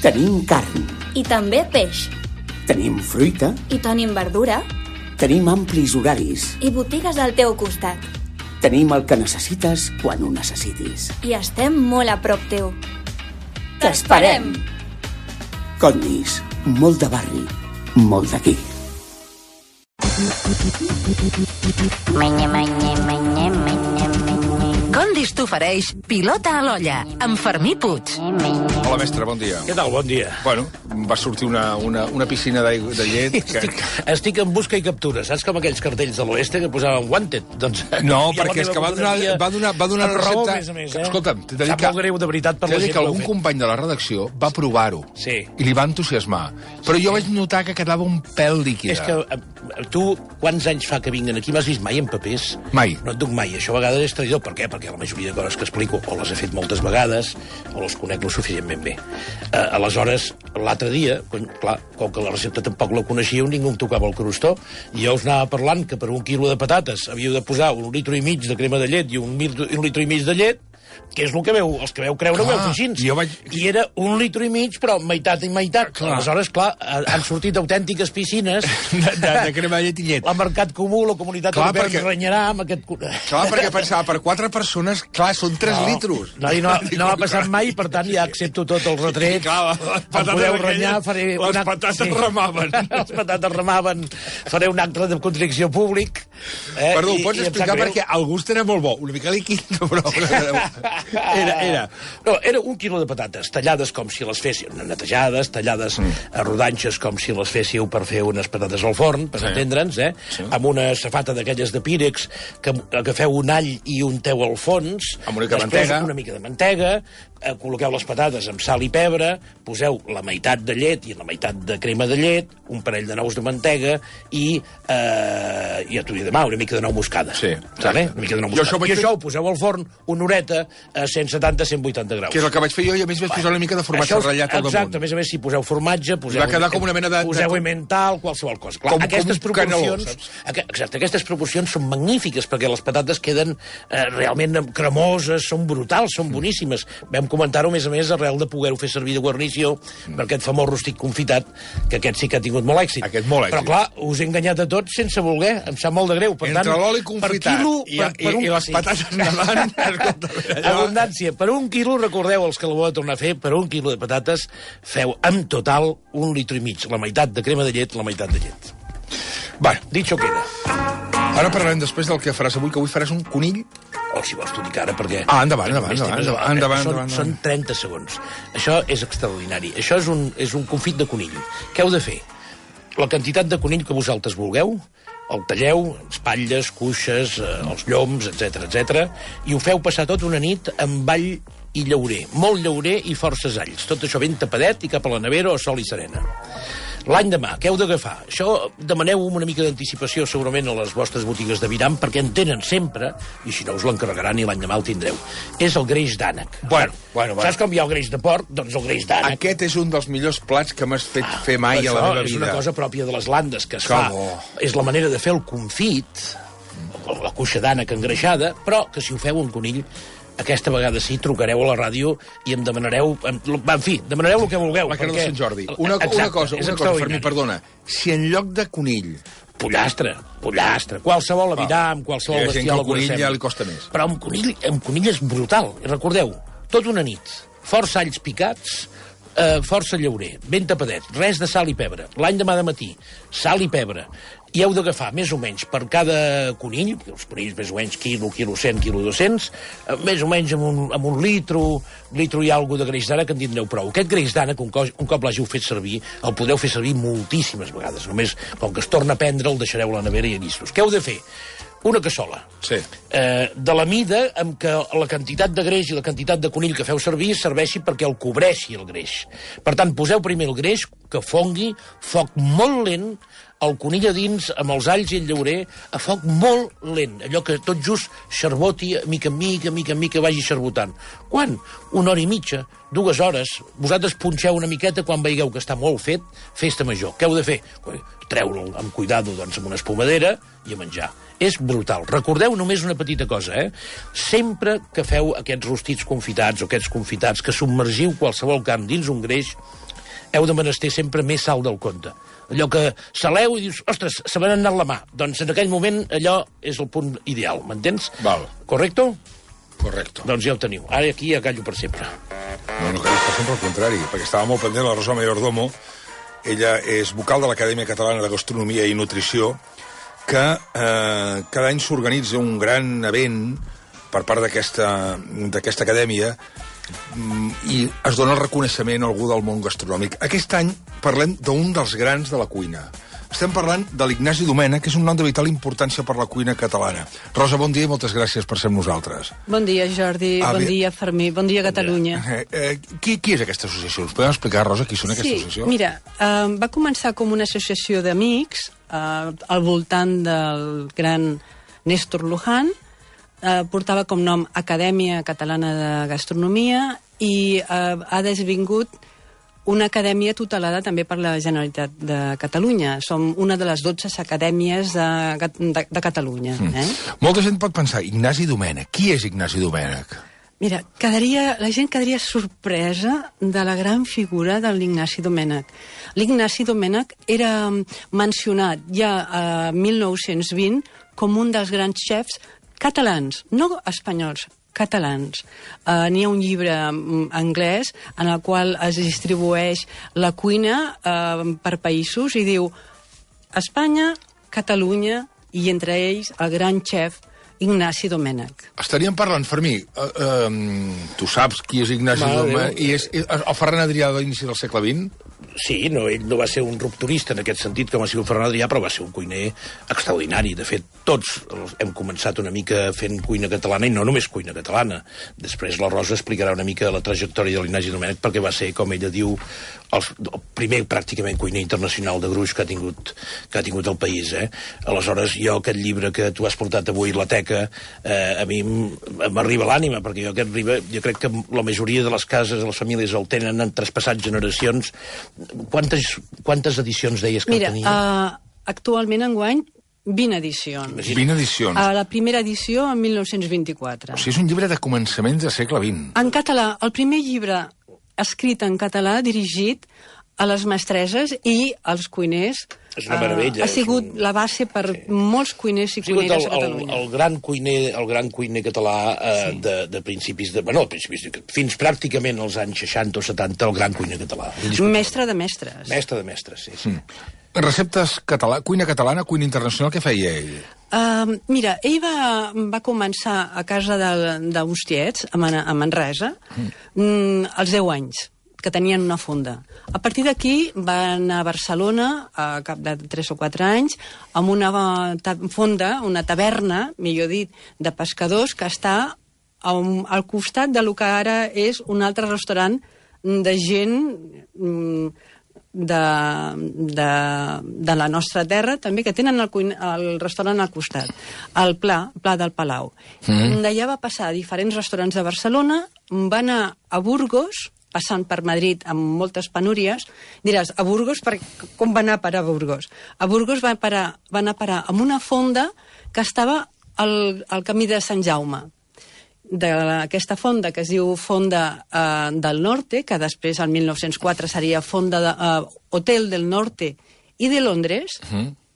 Tenim carn. I també peix. Tenim fruita. I tenim verdura. Tenim amplis horaris. I botigues al teu costat. Tenim el que necessites quan ho necessitis. I estem molt a prop teu. T'esperem! Condis, molt de barri, molt d'aquí. Condis t'ofereix Pilota a l'olla, amb Fermí Puig. Hola, mestre, bon dia. Què tal? Bon dia. Bueno, va sortir una piscina de llet... Estic en busca i captura. Saps com aquells cartells de l'oeste que posaven wanted? Doncs, no, perquè és que va donar raó, recepta... més a més, Escolta'm, t'he de dir Sap molt greu, de veritat, per la gent que algun company de la redacció va provar-ho. Sí. I li va entusiasmar. Però jo vaig notar que quedava un pèl líquida. És que tu, quants anys fa que vinguen aquí? M'has vist mai en papers? Mai. No et duc mai. Això a vegades és traïdor. Per què? Perquè la majoria de coses que explico o les he fet moltes vegades o les conec lo suficientment bé. Aleshores, l'altre dia, clar, com que la recepta tampoc la coneixíeu, ningú em tocava el crostó, i jo us anava parlant que per 1 quilo de patates havíeu de posar 1,5 litres de crema de llet i 1,5 litres de llet, que és el que els que veu creure ho veu fer així. I era 1,5 litres, però meitat i meitat. Aleshores, clar, han sortit autèntiques piscines de crema de llet i llet. La Mercat Comú, la Comunitat Europea ens renyarà amb aquest... Clar, perquè pensava, per 4 persones, clar, són 3 litros. No ha passat mai, per tant, ja accepto tot el retret. Em podeu renyar, faré... Les patates remaven. Les patates remaven. Faré un acte de contrició públic. Perdó, pots explicar perquè el gust era molt bo. Una mica líquid, però... Era 1 quilo de patates, tallades com si les féssiu, netejades, tallades a rodanxes com si les féssiu per fer unes patates al forn, per entendre'ns, amb una safata d'aquelles de pírex, que agafeu un all i unteu al fons, amb una mica de mantega, col·loqueu les patates amb sal i pebre, poseu la meitat de llet i la meitat de crema de llet, un parell de nous de mantega i ja t'ho diré demà, una mica de nou moscada. Sí. Una mica de nou moscada. I això ho poseu al forn una horeta a 170-180 graus. Que és el que vaig fer jo, i a més vaig posar una mica de formatge ratllat al damunt. Exacte, a més a més, si poseu formatge, poseu emmental, qualsevol cosa. Clar, aquestes proporcions són magnífiques, perquè les patates queden realment cremoses, són brutals, són boníssimes. Vam comentar-ho, a més, arrel de poder-ho fer servir de guarnició per aquest famós rostit confitat, que aquest sí que ha tingut molt èxit. Però, clar, us he enganyat a tots sense voler, em sap molt de greu. Per entre tant, l'oli confitat i les patates nedant... Abundància. Per 1 quilo, recordeu, els que la voleu tornar a fer, per 1 quilo de patates feu en total 1,5 litres. La meitat de crema de llet, la meitat de llet. Bueno, dicho queda. Ara parlarem després del que faràs avui, que avui faràs un conill. O si vols t'ho dic ara, perquè... Endavant. Són 30 segons. Això és extraordinari. Això és un confit de conill. Què heu de fer? La quantitat de conill que vosaltres vulgueu, el talleu, espatlles, cuixes, els lloms, etc, i ho feu passar tot una nit amb all i llaurer. Molt llaurer i forces alls. Tot això ben tapadet i cap a la nevera o sol i serena. L'endemà, què heu d'agafar? Això demaneu una mica d'anticipació segurament a les vostres botigues de Viram, perquè en tenen sempre, i si no us l'encarregaran i l'endemà el tindreu. És el greix d'ànec. Bueno. Saps com hi ha el greix de porc? Doncs el greix d'ànec. Aquest és un dels millors plats que m'has fet fer mai a la meva vida. És una cosa pròpia de les Landes que es fa. És la manera de fer el confit, la cuixa d'ànec engreixada, però que si ho feu un conill, aquesta vegada sí, trucareu a la ràdio i em demanareu... En fi, demanareu el que vulgueu. La cara de Sant Jordi. Una cosa, Fermí, perdona. Si en lloc de conill... Pollastre. Qualsevol aviram, qualsevol bestial... Hi ha gent que el conill ja li costa més. Però amb conill és brutal. Recordeu, tot una nit, força alls picats, força llaurer, ben tapadet, res de sal i pebre. L'endemà de matí, sal i pebre. I heu d'agafar, més o menys, per cada conill, els conills més o menys quilo 100, quilo 200, més o menys amb un litro i alguna de greix d'ànec, en tindreu prou. Aquest greix d'ànec, un cop l'hàgiu fet servir, el podeu fer servir moltíssimes vegades. Només, com que es torna a prendre, el deixareu a la nevera i llistos. Què heu de fer? Una cassola. Sí. De la mida amb què la quantitat de greix i la quantitat de conill que feu servir serveixi perquè el cobreixi el greix. Per tant, poseu primer el greix, que fongui, foc molt lent, el conill a dins, amb els alls i el llaurer, a foc molt lent. Allò que tot just xarboti, mica en mica, vagi xarbotant. Quan? 1 hora i mitja, 2 hores. Vosaltres punxeu una miqueta quan veieu que està molt fet, festa major. Què heu de fer? Treu-lo amb cuidado, doncs, amb una espumadera i a menjar. És brutal. Recordeu només una petita cosa, Sempre que feu aquests rostits confitats o aquests confitats, que submergiu qualsevol carn dins un greix, heu de menester sempre més sal del compte. Allò que saleu i dius, ostres, se m'ha anat la mà. Doncs en aquell moment allò és el punt ideal, m'entens? Val. Correcto? Correcte. Doncs ja ho teniu. Ara aquí ja callo per sempre. No callis per sempre, al contrari, perquè estava molt pendent la Rosa Mayordomo. Ella és vocal de l'Acadèmia Catalana de Gastronomia i Nutrició, que cada any s'organitza un gran event per part d'aquesta acadèmia i es dona el reconeixement a algú del món gastronòmic. Aquest any parlem d'un dels grans de la cuina. Estem parlant de l'Ignasi Domènech, que és un nom de vital importància per la cuina catalana. Rosa, bon dia i moltes gràcies per ser amb nosaltres. Bon dia, Jordi. Bon dia, Fermí. Bon dia, Catalunya. Qui és aquesta associació? Us podem explicar, Rosa, qui són aquesta associació? Sí, mira, va començar com una associació d'amics al voltant del gran Néstor Luján. Portava com nom Acadèmia Catalana de Gastronomia i ha desvingut una acadèmia tutelada també per la Generalitat de Catalunya. Som una de les 12 acadèmies de Catalunya. Molta gent pot pensar, Ignasi Domènech. Qui és Ignasi Domènech? Mira, la gent quedaria sorpresa de la gran figura de l'Ignasi Domènech. L'Ignasi Domènech era mencionat ja a 1920 com un dels grans xefs catalans, no espanyols, catalans. N'hi ha un llibre anglès en el qual es distribueix la cuina per països i diu Espanya, Catalunya i entre ells el gran xef Ignasi Domènech. Estaríem parlant, Fermí, tu saps qui és Ignasi Domènech? I és el Ferran Adrià de l'inici del segle XX? Sí, ell no va ser un rupturista en aquest sentit com ha sigut Ferran Adrià, però va ser un cuiner extraordinari. De fet, tots hem començat una mica fent cuina catalana, i no només cuina catalana. Després la Rosa explicarà una mica la trajectòria de l'Ignasi Domènech, perquè va ser, com ella diu, el primer pràcticament cuiner internacional de gruix que ha tingut el país. Aleshores, jo aquest llibre que tu has portat avui a la teca, a mi m'arriba a l'ànima, perquè jo crec que la majoria de les cases, de les famílies el tenen, han traspassat generacions. Quantes edicions deies que tenia? Mira, actualment enguany 20 edicions. 20 edicions. La primera edició en 1924. O sigui, és un llibre de començaments del segle XX. En català, el primer llibre escrit en català dirigit a les mestresses i als cuiners. És una meravella. Ha sigut la base per molts cuiners i cuineres a Catalunya. El gran cuiner català de principis fins pràcticament als anys 60 o 70, el gran cuiner català. Mestre de mestres. Mestre de mestres, sí. Receptes cuina catalana, cuina internacional, què feia ell? Mira, ell va començar a casa d'uns tiets, a Manresa, als 10 anys, que tenien una fonda. A partir d'aquí va anar a Barcelona, a cap de 3 o 4 anys, amb una fonda, una taverna, millor dit, de pescadors, que està al costat del que ara és un altre restaurant de gent de la nostra terra, també, que tenen el restaurant al costat, el Pla del Palau. D'allà va passar a diferents restaurants de Barcelona, va anar a Burgos, passant per Madrid amb moltes penúries. Diràs, a Burgos, com va anar a parar a Burgos? A Burgos va anar a parar amb una fonda que estava al camí de Sant Jaume. D'aquesta fonda, que es diu Fonda del Norte, que després, el 1904, seria Hotel del Norte i de Londres,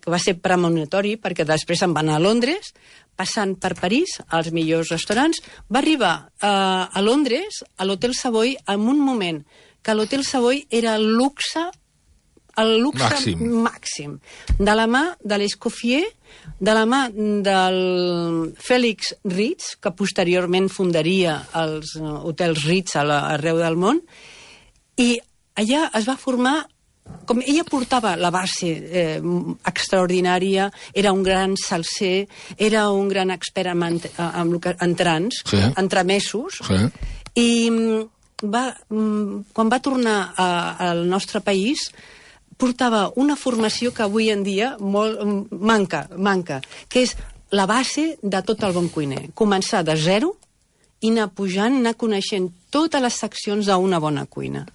que va ser premonitori, perquè després se'n va anar a Londres, passant per París, als millors restaurants, va arribar a Londres, a l'Hotel Savoy, en un moment que l'Hotel Savoy era el luxe màxim. De la mà de l'Escoffier, de la mà del Félix Ritz, que posteriorment fundaria els hotels Ritz arreu del món, i allà es va formar. Com ella portava la base extraordinària, era un gran salser, era un gran expert en trans, entremesos, i quan va tornar al nostre país portava una formació que avui en dia manca, que és la base de tot el bon cuiner. Començar de zero i anar pujant, anar coneixent totes les seccions d'una bona cuina.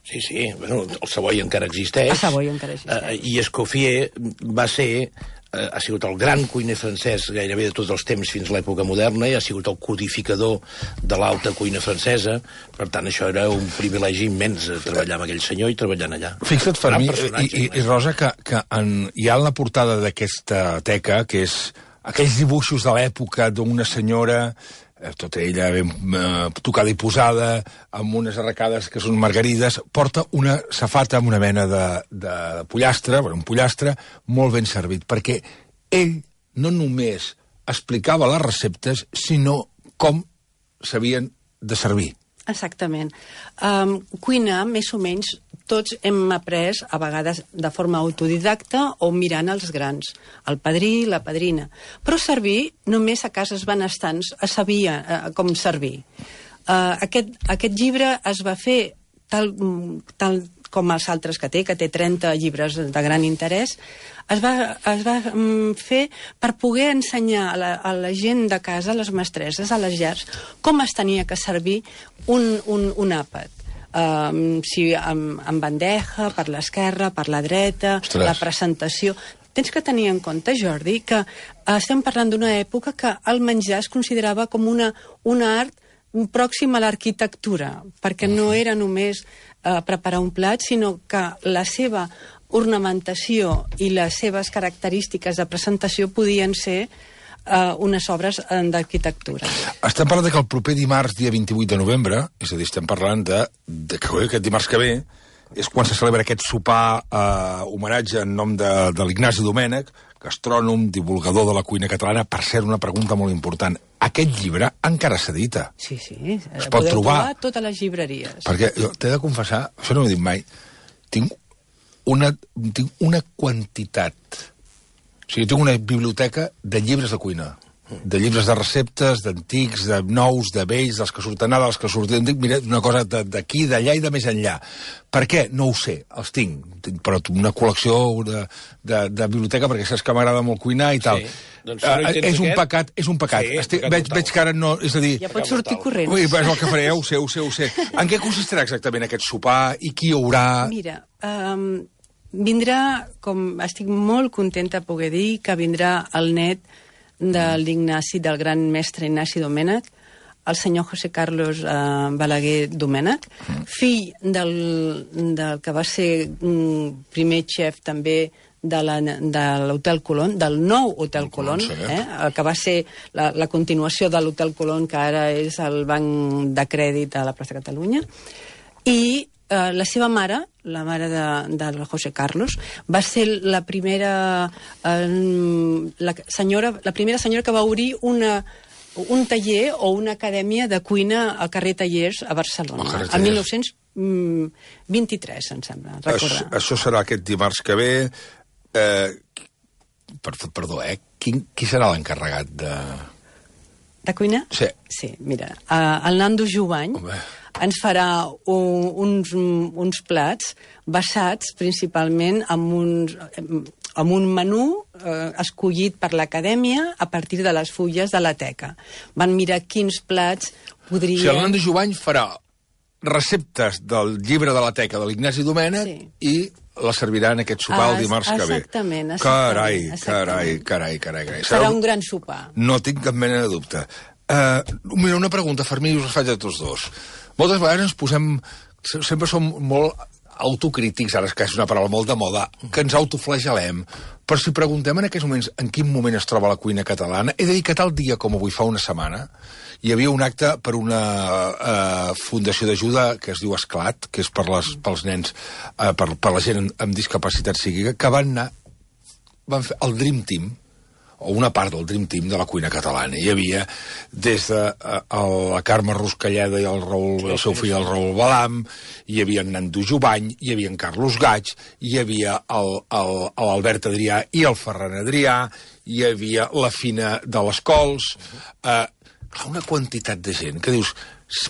Sí, bueno, el Savoy encara existeix. El Savoy encara existeix. I Escoffier va ser ha sigut el gran cuiner francès gairebé de tots els temps fins a l'època moderna i ha sigut el codificador de l'alta cuina francesa. Per tant, això era un privilegi immens, treballar amb aquell senyor i treballant allà. Fixa't, Fermí, i Rosa, que hi ha en la portada d'aquesta teca, que és aquells dibuixos de l'època d'una senyora, tota ella ben tocada i posada, amb unes arracades que són margarides, porta una safata amb una mena de pollastre, un pollastre molt ben servit, perquè ell no només explicava les receptes, sinó com s'havien de servir. Exactament. Cuinar, més o menys, tots hem après, a vegades de forma autodidacta o mirant els grans, el padrí, la padrina. Però servir, només a cases benestants es sabia com servir. Aquest llibre es va fer tal com els altres que té 30 llibres de gran interès, es va fer per poder ensenyar a la gent de casa, a les mestresses, a les llars, com es tenia que servir un àpat. Si amb bandeja, per l'esquerra, per la dreta, la presentació. Tens que tenir en compte, Jordi, que estem parlant d'una època que el menjar es considerava com un art pròxim a l'arquitectura, perquè no era només preparar un plat, sinó que la seva ornamentació i les seves característiques de presentació podien ser unes obres d'arquitectura. Estem parlant que el proper dimarts, dia 28 de novembre, és a dir, estem parlant de que aquest dimarts que ve és quan se celebra aquest sopar homenatge en nom de l'Ignasi Domènech, gastrònom, divulgador de la cuina catalana. Per cert, una pregunta molt important. Aquest llibre encara s'edita? Sí. Es pot trobar a totes les llibreries. Perquè t'he de confessar, això no ho he dit mai, tinc una quantitat. O sigui, tinc una biblioteca de llibres de cuina, de llibres de receptes, d'antics, de nous, de vells, dels que surten ara, dels que surten... Mira, una cosa d'aquí, d'allà i de més enllà. Per què? No ho sé, els tinc, però una col·lecció de biblioteca, perquè saps que m'agrada molt cuinar i tal. Sí. Doncs, és un pecat. Sí, veig que ara no... És a dir... Ja pots sortir corrents. Ui, és el que faré, ho sé. En què consistirà exactament aquest sopar i qui hi haurà? Mira, vindrà, com estic molt contenta de poder dir, que vindrà el net del gran mestre Ignasi Domènech, el senyor José Carlos Balaguer Domènech, fill del que va ser primer xef també de l'Hotel Colón, del nou Hotel Colón, el que va ser la continuació de l'Hotel Colón, que ara és el Banc de Crèdit a la plaça Catalunya, i la seva mare, la mare de José Carlos, va ser la primera senyora que va obrir un taller o una acadèmia de cuina al carrer Tallers a Barcelona, el 1923, em sembla, recordar. Això serà aquest dimarts que ve. Perdó, qui serà l'encarregat de... De cuina? Sí. Mira, el Nando Jovany ens farà uns plats basats principalment en un menú escollit per l'acadèmia a partir de les fulles de la teca. Van mirar quins plats podrien... O sigui, el Nando Jovany farà receptes del llibre de la teca de l'Ignasi Domènech i la serviran aquest sopar el dimarts que ve. Exactament. Carai. Serà un gran sopar. No tinc cap mena de dubte. Mira, una pregunta, Fermí, us la faig a tots dos. Moltes vegades ens posem... Sempre som molt autocrítics, ara que és una paraula molt de moda, que ens autoflagelem. Però si preguntem en aquests moments en quin moment es troba la cuina catalana, he de dir que tal dia com avui fa una setmana hi havia un acte per una fundació d'ajuda que es diu Esclat, que és pels nens, per la gent amb discapacitat psíquica, que van fer el Dream Team, o una part del Dream Team de la cuina catalana. Hi havia des de la Carme Ruscalleda i el seu fill, el Raül Balam, hi havia en Nando Jovany, hi havia en Carlos Gaig, hi havia l'Albert Adrià i el Ferran Adrià, hi havia la Fina de les Cols, una quantitat de gent que dius,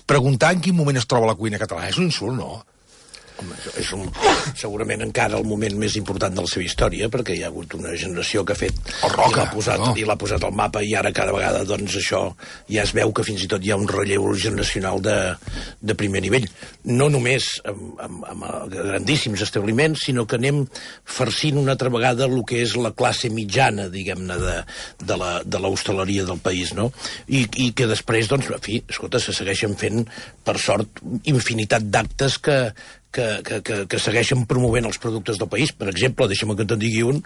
preguntar en quin moment es troba la cuina catalana és un insult, no? Home, és segurament encara el moment més important de la seva història, perquè hi ha hagut una generació que ha fet el Roca, i l'ha posat al mapa, i ara cada vegada doncs això ja es veu que fins i tot hi ha un relleu generacional de primer nivell. No només amb grandíssims establiments, sinó que anem farcint una altra vegada el que és la classe mitjana, diguem-ne, de l'hostaleria del país, no? I que després, doncs, en fi, escolta, se segueixen fent, per sort, infinitat d'actes que segueixen promovent els productes del país. Per exemple, deixa'm que te'n digui un,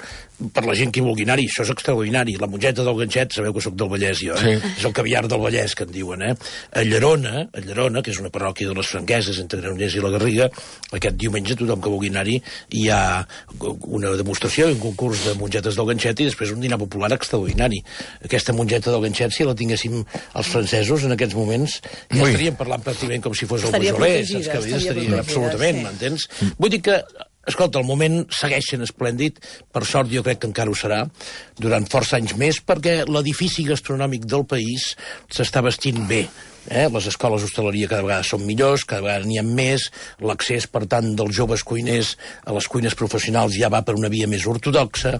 per la gent que hi vulgui anar-hi, això és extraordinari. La mongeta del Ganxet, sabeu que sóc del Vallès, jo, Sí. És el caviar del Vallès, que en diuen, A Llerona, que és una parròquia de les Franqueses, entre Granollers i la Garriga, aquest diumenge tothom que vulgui anar-hi hi ha una demostració, un concurs de mongetes del Ganxet i després un dinar popular extraordinari. Aquesta mongeta del Ganxet, si la tinguéssim els francesos en aquests moments, ja estaríem parlant pràcticament com si fos el Beaujolais, estaria absolutament, m'entens? Vull dir que, escolta, el moment segueixen esplèndid, per sort jo crec que encara ho serà, durant força anys més, perquè l'edifici gastronòmic del país s'està vestint bé. Les escoles d'hostaleria cada vegada són millors, cada vegada n'hi ha més, l'accés, per tant, dels joves cuiners a les cuines professionals ja va per una via més ortodoxa,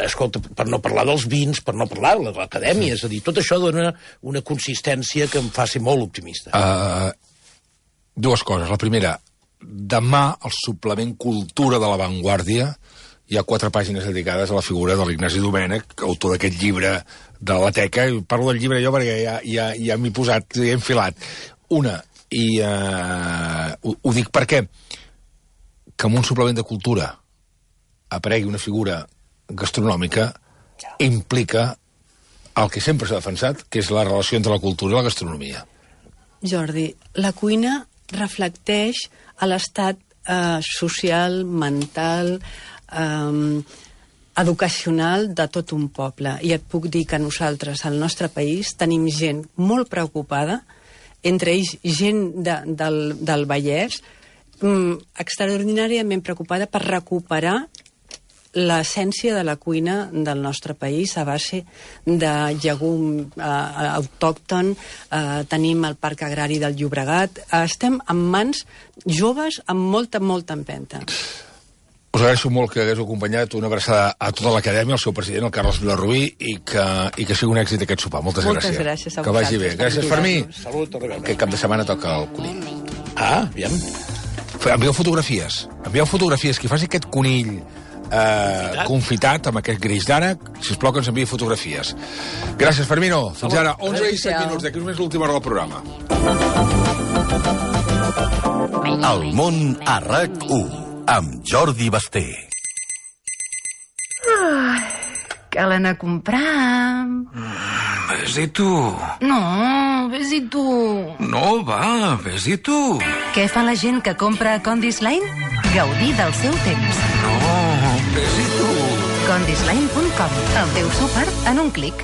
escolta, per no parlar dels vins, per no parlar de l'acadèmia, és a dir, tot això dona una consistència que em fa ser molt optimista. Dues coses. La primera, demà al suplement Cultura de la Vanguardia hi ha 4 pàgines dedicades a la figura de l'Ignasi Domènech, autor d'aquest llibre de la teca. Parlo del llibre jo perquè ja m'he posat, he enfilat. Una, i ho dic perquè que en un suplement de cultura aparegui una figura gastronòmica implica el que sempre s'ha defensat, que és la relació entre la cultura i la gastronomia. Jordi, la cuina reflecteix a l'estat social, mental, educacional de tot un poble. I et puc dir que nosaltres, al nostre país, tenim gent molt preocupada, entre ells gent del Vallès, extraordinàriament preocupada per recuperar l'essència de la cuina del nostre país a base de llegum autòcton. Tenim el Parc Agrari del Llobregat. Estem en mans joves amb molta empenta. Us agraeixo molt que hagués acompanyat, una abraçada a tota l'acadèmia, al seu president, el Carles Vilarrubí, i que sigui un èxit aquest sopar. Moltes gràcies. Moltes gràcies a que vagi bé. Gràcies, Fermí. Salut, a reveure. Aquest cap de setmana toca el conill. Aviam. Envieu fotografies. Qui faci aquest conill confitat amb aquest greix d'ànec, sisplau que ens enviï fotografies. Gràcies, Fermino. Fins ara, 11 i 7 minuts. D'aquí només l'última hora del programa. El món a RAC1 amb Jordi Basté. Cal anar a comprar... Vés-hi tu. No, vés-hi tu. No, va, vés-hi tu. Què fa la gent que compra a Condis Line? Gaudir del seu temps. No, vés-hi tu. Condisline.com. El teu súper en un clic.